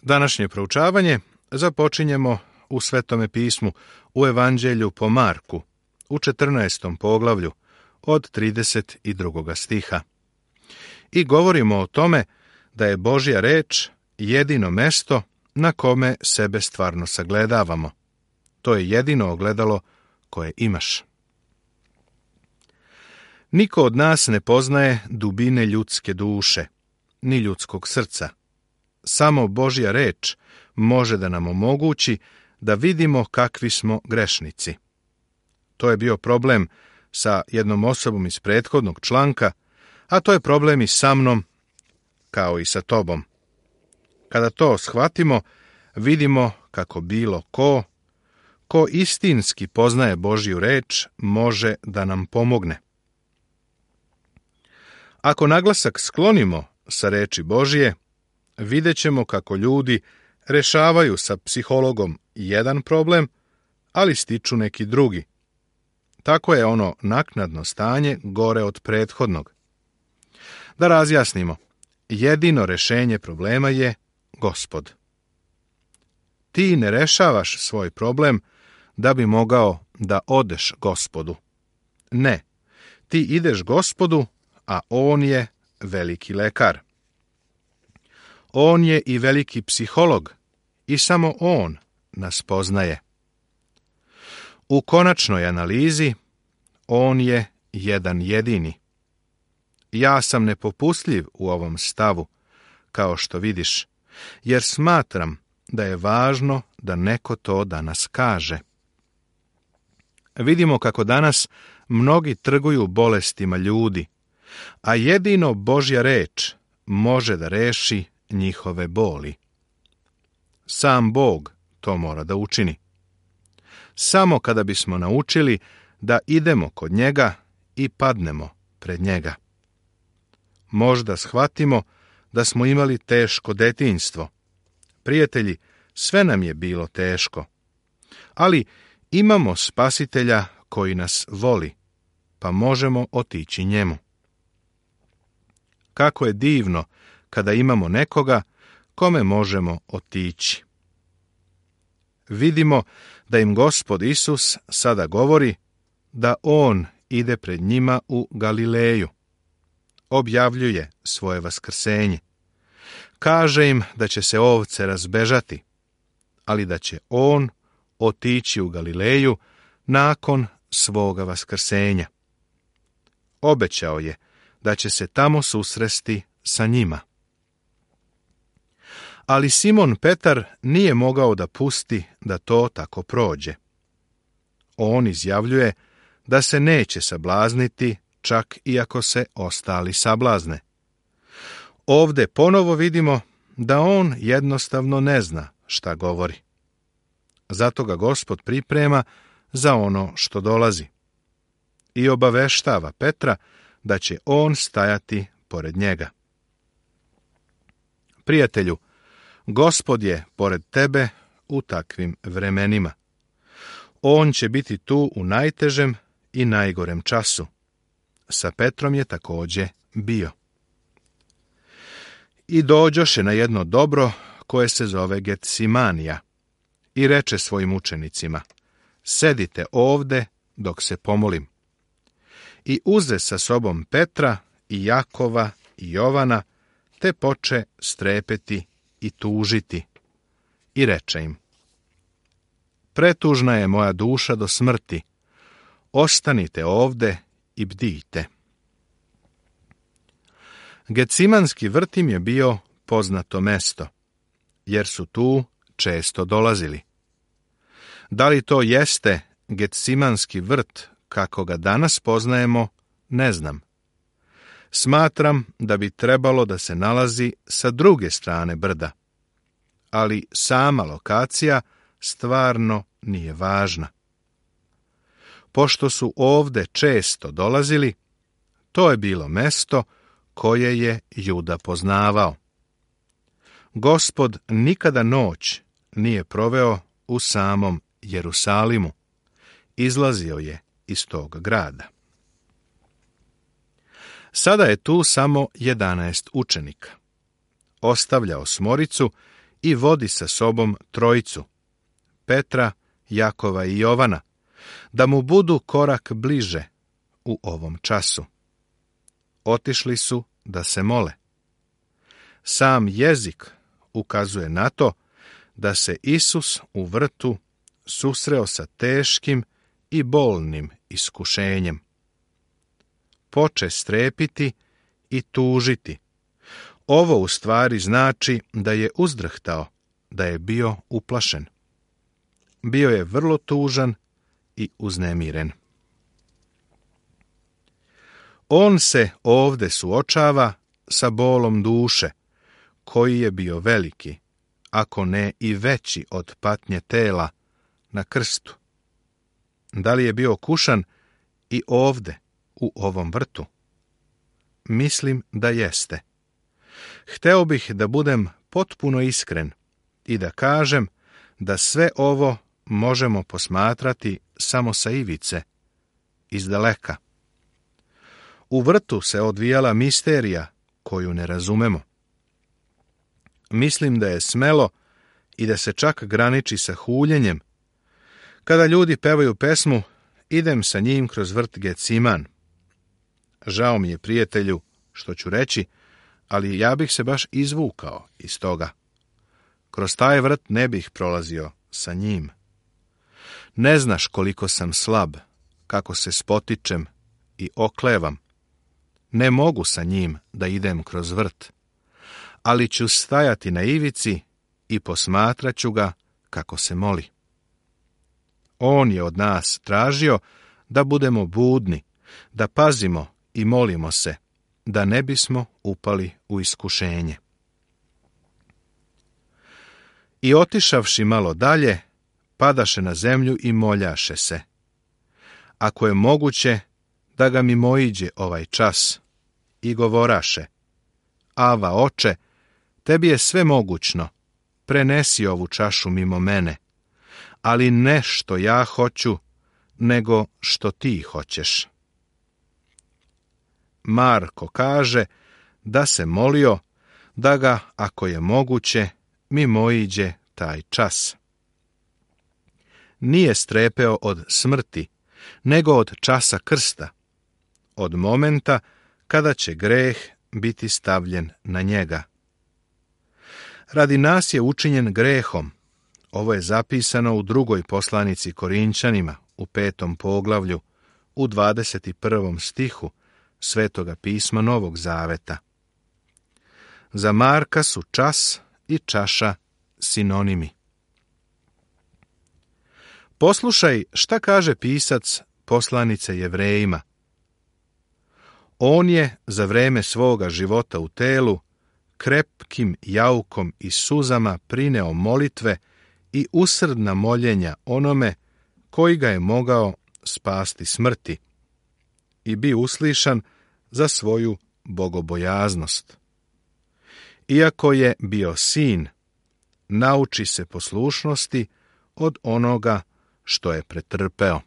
Današnje proučavanje započinjemo u Svetome pismu, u Evanđelju po Marku, u 14. poglavlju, od 32. stiha. I govorimo o tome da je Božja reč jedino mesto na kome sebe stvarno sagledavamo. To je jedino ogledalo koje imaš. Niko od nas ne poznaje dubine ljudske duše, ni ljudskog srca. Samo Božja reč može da nam omogući da vidimo kakvi smo grešnici. To je bio problem sa jednom osobom iz prethodnog članka, a to je problem i sa mnom, kao i sa tobom. Kada to shvatimo, vidimo kako bilo ko istinski poznaje Božju reč, može da nam pomogne. Ako naglasak sklonimo sa reči Božje, vidjet ćemo kako ljudi rešavaju sa psihologom jedan problem, ali stiču neki drugi. Tako je ono naknadno stanje gore od prethodnog. Da razjasnimo, jedino rešenje problema je Gospod. Ti ne rešavaš svoj problem da bi mogao da odeš Gospodu. Ne, ti ideš Gospodu, a On je veliki lekar. On je i veliki psiholog i samo On nas poznaje. U konačnoj analizi On je jedan jedini. Ja sam nepopustljiv u ovom stavu, kao što vidiš, jer smatram da je važno da neko to danas kaže. Vidimo kako danas mnogi trguju bolestima ljudi, a jedino Božja reč može da reši njihove boli. Sam Bog to mora da učini. Samo kada bismo naučili da idemo kod njega i padnemo pred njega. Možda shvatimo da smo imali teško detinjstvo. Prijatelji, sve nam je bilo teško. Ali imamo Spasitelja koji nas voli, pa možemo otići njemu. Kako je divno kada imamo nekoga kome možemo otići. Vidimo da im Gospod Isus sada govori da On ide pred njima u Galileju. Objavljuje svoje vaskrsenje. Kaže im da će se ovce razbežati, ali da će On otići u Galileju nakon svoga vaskrsenja. Obećao je da će se tamo susresti sa njima. Ali Simon Petar nije mogao da pusti da to tako prođe. On izjavljuje da se neće sablazniti, čak i ako se ostali sablazne. Ovde ponovo vidimo da on jednostavno ne zna šta govori. Zato ga Gospod priprema za ono što dolazi. I obaveštava Petra da će on stajati pored njega. Prijatelju, Gospod je pored tebe u takvim vremenima. On će biti tu u najtežem i najgorem času. Sa Petrom je također bio. I dođoše na jedno dobro koje se zove Getsemanija i reče svojim učenicima: sedite ovde dok se pomolim. I uze sa sobom Petra i Jakova i Jovana, te poče strepeti i tužiti. I reče im: pretužna je moja duša do smrti, ostanite ovde i bdijte. Getsemanski vrt im je bio poznato mesto, jer su tu često dolazili. Da li to jeste Getsemanski vrt kako ga danas poznajemo, ne znam. Smatram da bi trebalo da se nalazi sa druge strane brda, ali sama lokacija stvarno nije važna. Pošto su ovde često dolazili, to je bilo mesto koje je Juda poznavao. Gospod nikada noć nije proveo u samom Jerusalimu. Izlazio je iz tog grada. Sada je tu samo 11 učenika. Ostavlja osmoricu i vodi sa sobom trojicu, Petra, Jakova i Jovana, da mu budu korak bliže u ovom času. Otišli su da se mole. Sam jezik ukazuje na to da se Isus u vrtu susreo sa teškim i bolnim iskušenjem. Poče strepiti i tužiti. Ovo u stvari znači da je uzdrhtao, da je bio uplašen. Bio je vrlo tužan i uznemiren. On se ovde suočava sa bolom duše, koji je bio veliki, ako ne i veći od patnje tela na krstu. Da li je bio kušan i ovde, u ovom vrtu? Mislim da jeste. Hteo bih da budem potpuno iskren i da kažem da sve ovo možemo posmatrati samo sa ivice, izdaleka. U vrtu se odvijala misterija koju ne razumemo. Mislim da je smelo i da se čak graniči sa huljenjem. Kada ljudi pevaju pesmu, idem sa njim kroz vrt Geciman. Žao mi je, prijatelju, što ću reći, ali ja bih se baš izvukao iz toga. Kroz taj vrt ne bih prolazio sa njim. Ne znaš koliko sam slab, kako se spotičem i oklevam. Ne mogu sa njim da idem kroz vrt, ali ću stajati na ivici i posmatraću ga kako se moli. On je od nas tražio da budemo budni, da pazimo i molimo se, da ne bismo upali u iskušenje. I otišavši malo dalje, padaše na zemlju i moljaše se. Ako je moguće, da ga mimoiđe ovaj čas, i govoraše: Ava, oče, tebi je sve mogućno, prenesi ovu čašu mimo mene, ali ne što ja hoću, nego što ti hoćeš. Marko kaže da se molio da ga, ako je moguće, mimoiđe taj čas. Nije strepeo od smrti, nego od časa krsta, od momenta kada će greh biti stavljen na njega. Radi nas je učinjen grehom. Ovo je zapisano u 2. poslanici Korinćanima, u 5. poglavlju, u 21. stihu Svetoga pisma Novog Zaveta. Za Marka su čas i čaša sinonimi. Poslušaj šta kaže pisac poslanice Jevrejima. On je za vreme svoga života u telu krepkim jaukom i suzama prineo molitve i usrdna moljenja onome koji ga je mogao spasti smrti i bi uslišan za svoju bogobojaznost. Iako je bio sin, nauči se poslušnosti od onoga što je pretrpeo.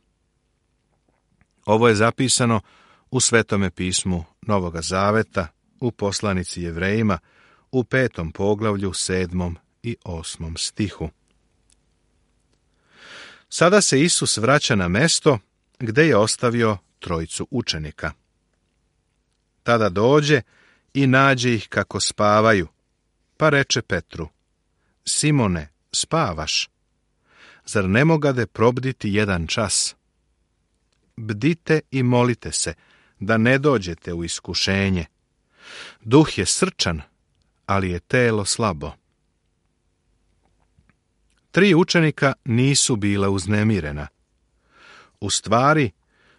Ovo je zapisano u Svetome pismu Novoga Zaveta, u poslanici Jevrejima, u 5. poglavlju, 7. i 8. stihu. Sada se Isus vraća na mesto gde je ostavio trojicu učenika. Tada dođe i nađe ih kako spavaju, pa reče Petru: Simone, spavaš? Zar ne mogade probditi jedan čas? Bdite i molite se, da ne dođete u iskušenje. Duh je srčan, ali je telo slabo. 3 učenika nisu bila uznemirena. U stvari,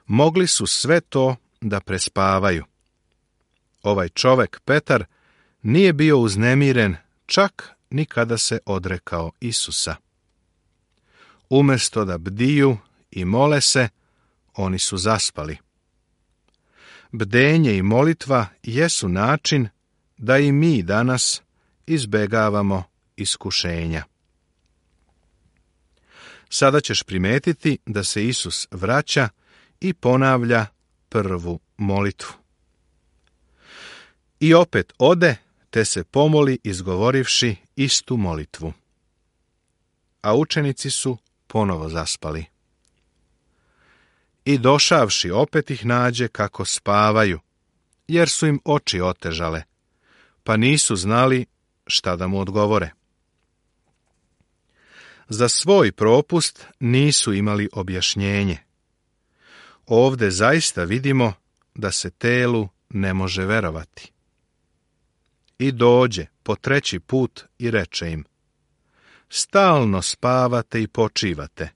mogli su sve to da prespavaju. Ovaj čovek, Petar, nije bio uznemiren čak ni kada se odrekao Isusa. Umesto da bdiju i mole se, oni su zaspali. Bdenje i molitva jesu način da i mi danas izbegavamo iskušenja. Sada ćeš primetiti da se Isus vraća i ponavlja prvu molitvu. I opet ode, te se pomoli izgovorivši istu molitvu. A učenici su ponovo zaspali. I došavši opet ih nađe kako spavaju, jer su im oči otežale, pa nisu znali šta da mu odgovore. Za svoj propust nisu imali objašnjenje. Ovde zaista vidimo da se telu ne može verovati. I dođe po 3. put i reče im: stalno spavate i počivate.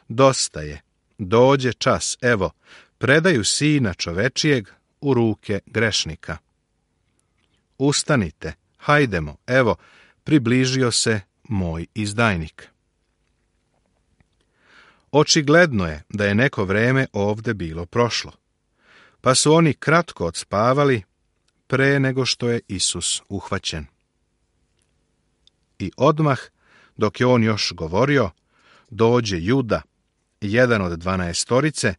Dosta je, dođe čas, evo, predaju Sina čovečijeg u ruke grešnika. Ustanite, hajdemo, evo, približio se moj izdajnik. Očigledno je da je neko vreme ovde bilo prošlo, pa su oni kratko odspavali pre nego što je Isus uhvaćen. I odmah, dok je on još govorio, dođe Juda, jedan od 12,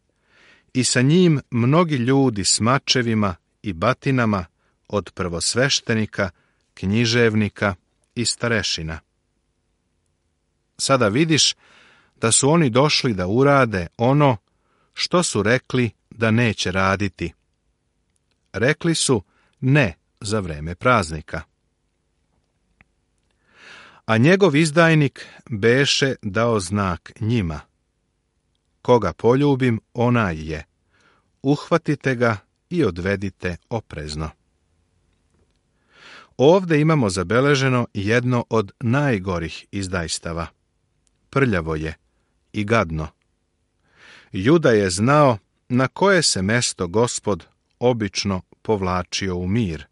i sa njim mnogi ljudi s mačevima i batinama od prvosveštenika, književnika i starešina. Sada vidiš da su oni došli da urade ono što su rekli da neće raditi. Rekli su ne za vreme praznika. A njegov izdajnik beše dao znak njima: koga poljubim, onaj je. Uhvatite ga i odvedite oprezno. Ovde imamo zabeleženo jedno od najgorih izdajstava. Prljavo je i gadno. Juda je znao na koje se mesto Gospod obično povlačio u mir,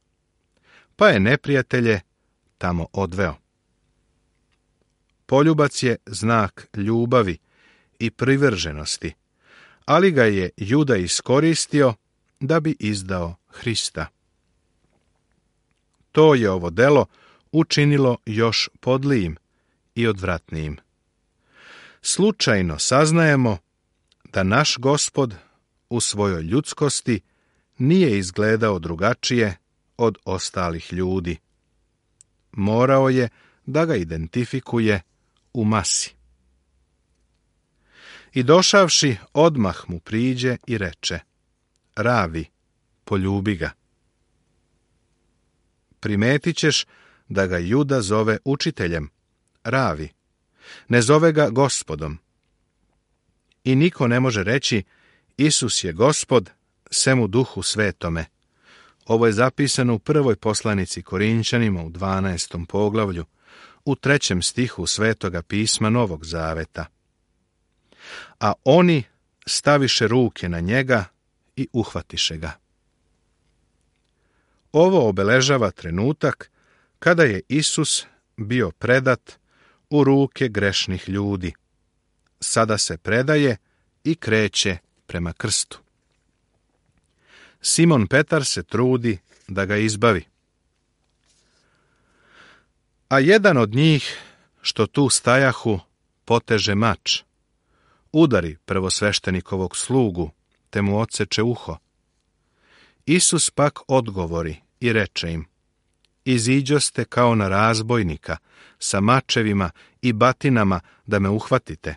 pa je neprijatelje tamo odveo. Poljubac je znak ljubavi i privrženosti, ali ga je Juda iskoristio da bi izdao Hrista. To je ovo delo učinilo još podlijim i odvratnijim. Slučajno saznajemo da naš Gospod u svojoj ljudskosti nije izgledao drugačije od ostalih ljudi. Morao je da ga identifikuje u masi. I došavši, odmah mu priđe i reče: Ravi, poljubi ga. Primetit ćeš da ga Juda zove učiteljem, Ravi, ne zove ga Gospodom. I niko ne može reći Isus je Gospod, sem u Duhu Svetome. Ovo je zapisano u 1. poslanici Korinćanima u 12. poglavlju, u 3. stihu Svetoga pisma Novog Zaveta. A oni staviše ruke na njega i uhvatiše ga. Ovo obeležava trenutak kada je Isus bio predat u ruke grešnih ljudi. Sada se predaje i kreće prema krstu. Simon Petar se trudi da ga izbavi. A jedan od njih, što tu stajahu, poteže mač, udari prvosveštenikovog slugu, te mu odseče uho. Isus pak odgovori i reče im: Iziđoste kao na razbojnika, sa mačevima i batinama da me uhvatite.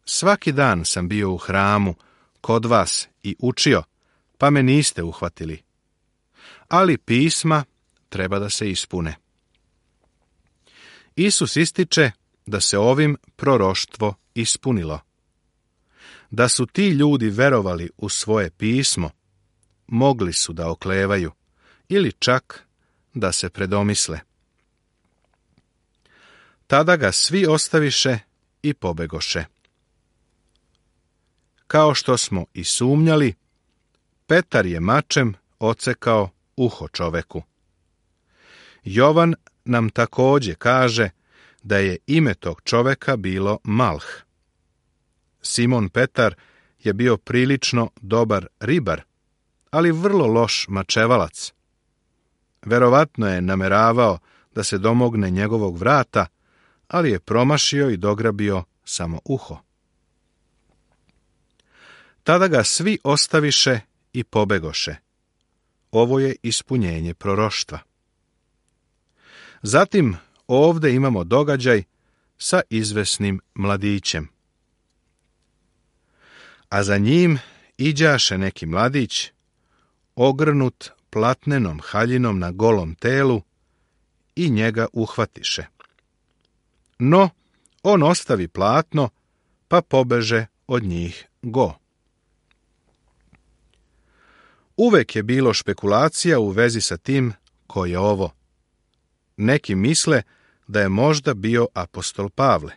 Svaki dan sam bio u hramu kod vas i učio, pa me niste uhvatili. Ali pisma treba da se ispune. Isus ističe da se ovim proroštvo ispunilo. Da su ti ljudi verovali u svoje pismo, mogli su da oklevaju ili čak da se predomisle. Tada ga svi ostaviše i pobegoše. Kao što smo i sumnjali, Petar je mačem odsekao uho čoveku. Jovan nam također kaže da je ime tog čoveka bilo Malh. Simon Petar je bio prilično dobar ribar, ali vrlo loš mačevalac. Verovatno je nameravao da se domogne njegovog vrata, ali je promašio i dograbio samo uho. Tada ga svi ostaviše i pobegoše. Ovo je ispunjenje proroštva. Zatim ovdje imamo događaj sa izvesnim mladićem. A za njim iđaše neki mladić, ogrnut platnenom haljinom na golom telu, i njega uhvatiše. No, on ostavi platno, pa pobeže od njih go. Uvek je bilo špekulacija u vezi sa tim ko je ovo. Neki misle da je možda bio apostol Pavle,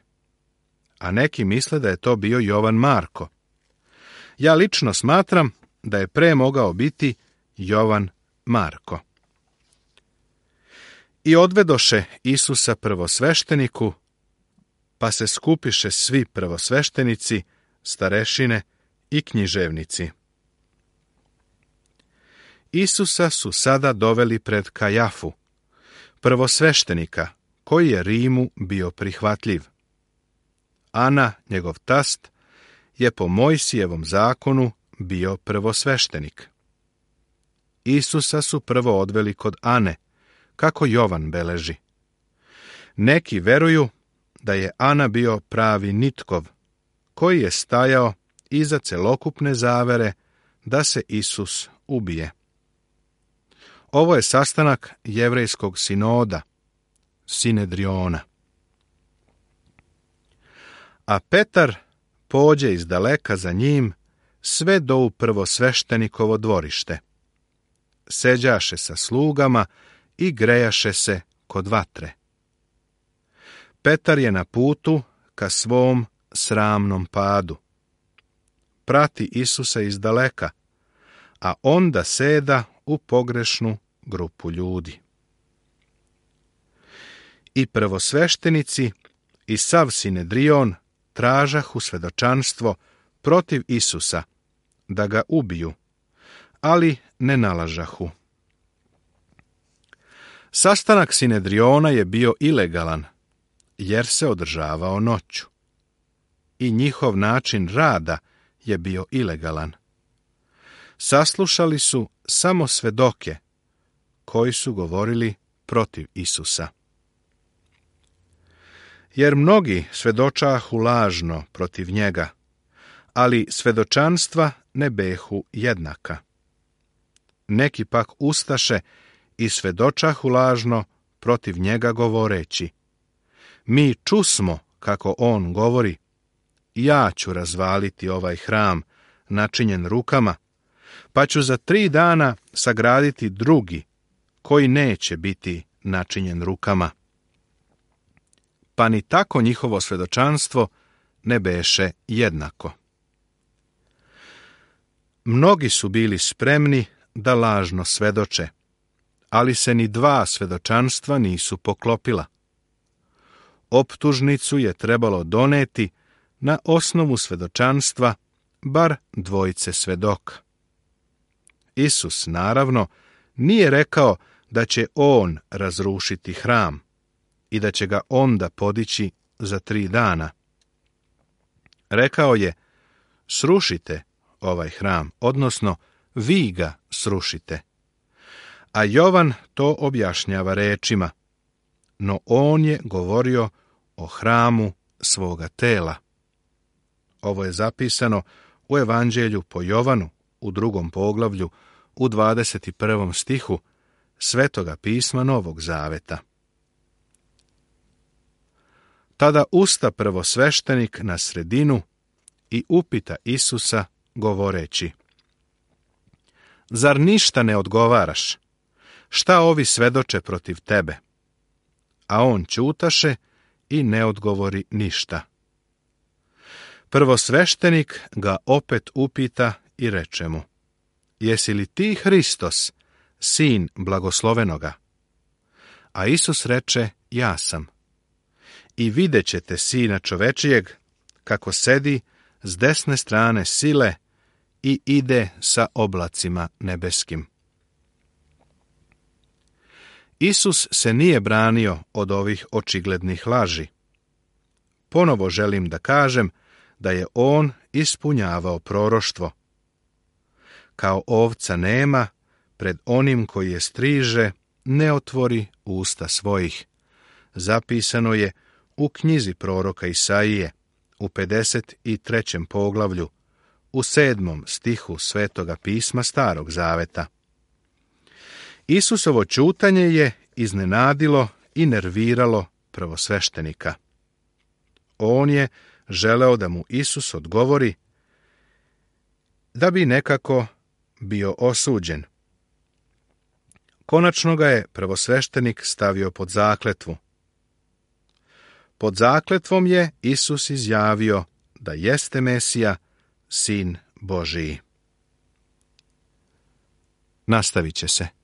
a neki misle da je to bio Jovan Marko. Ja lično smatram da je pre mogao biti Jovan Marko. I odvedoše Isusa prvosvešteniku, pa se skupiše svi prvosveštenici, starešine i književnici. Isusa su sada doveli pred Kajafu, prvosveštenika, koji je Rimu bio prihvatljiv. Ana, njegov tast, je po Mojsijevom zakonu bio prvosveštenik. Isusa su prvo odveli kod Ane, kako Jovan beleži. Neki veruju da je Ana bio pravi Nitkov, koji je stajao iza celokupne zavere da se Isus ubije. Ovo je sastanak jevrejskog sinoda, Sinedriona. A Petar pođe iz daleka za njim sve do u prvosveštenikovo dvorište. Seđaše sa slugama i grejaše se kod vatre. Petar je na putu ka svom sramnom padu. Prati Isusa iz daleka, a onda seda u pogrešnu grupu ljudi. I prvosveštenici i sav Sinedrion tražahu svedočanstvo protiv Isusa, da ga ubiju, ali ne nalažahu. Sastanak Sinedriona je bio ilegalan, jer se održavao noću. I njihov način rada je bio ilegalan. Saslušali su samo svedoke, koji su govorili protiv Isusa. Jer mnogi svedočahu lažno protiv njega, ali svedočanstva ne behu jednaka. Neki pak ustaše i svedočahu lažno protiv njega govoreći: mi čusmo kako on govori, ja ću razvaliti ovaj hram načinjen rukama, pa ću za 3 dana sagraditi drugi, koji neće biti načinjen rukama. Pa ni tako njihovo svedočanstvo ne beše jednako. Mnogi su bili spremni da lažno svedoče, ali se ni 2 svedočanstva nisu poklopila. Optužnicu je trebalo doneti na osnovu svedočanstva bar 2 svedoka. Isus, naravno, nije rekao da će on razrušiti hram i da će ga onda podići za 3 dana. Rekao je: srušite ovaj hram, odnosno vi ga srušite. A Jovan to objašnjava rečima: no on je govorio o hramu svoga tela. Ovo je zapisano u Evanđelju po Jovanu u 2. poglavlju u 21. stihu Svetoga pisma Novog Zaveta. Tada usta prvosveštenik na sredinu i upita Isusa govoreći: zar ništa ne odgovaraš? Šta ovi svedoče protiv tebe? A on ćutaše i ne odgovori ništa. Prvosveštenik ga opet upita i reče mu: jesi li ti Hristos, sin blagoslovenoga? A Isus reče: ja sam. I vidjet ćete Sina čovečijeg kako sedi s desne strane sile i ide sa oblacima nebeskim. Isus se nije branio od ovih očiglednih laži. Ponovo želim da kažem da je on ispunjavao proroštvo. Kao ovca nema, pred onim koji je striže, ne otvori usta svojih, zapisano je u knjizi proroka Isaije, u 53. poglavlju, u 7. stihu Svetoga pisma Starog zaveta. Isusovo ćutanje je iznenadilo i nerviralo prvosveštenika. On je želeo da mu Isus odgovori, da bi nekako bio osuđen. Konačno ga je prvosveštenik stavio pod zakletvu. Pod zakletvom je Isus izjavio da jeste Mesija, Sin Božiji. Nastavit će se.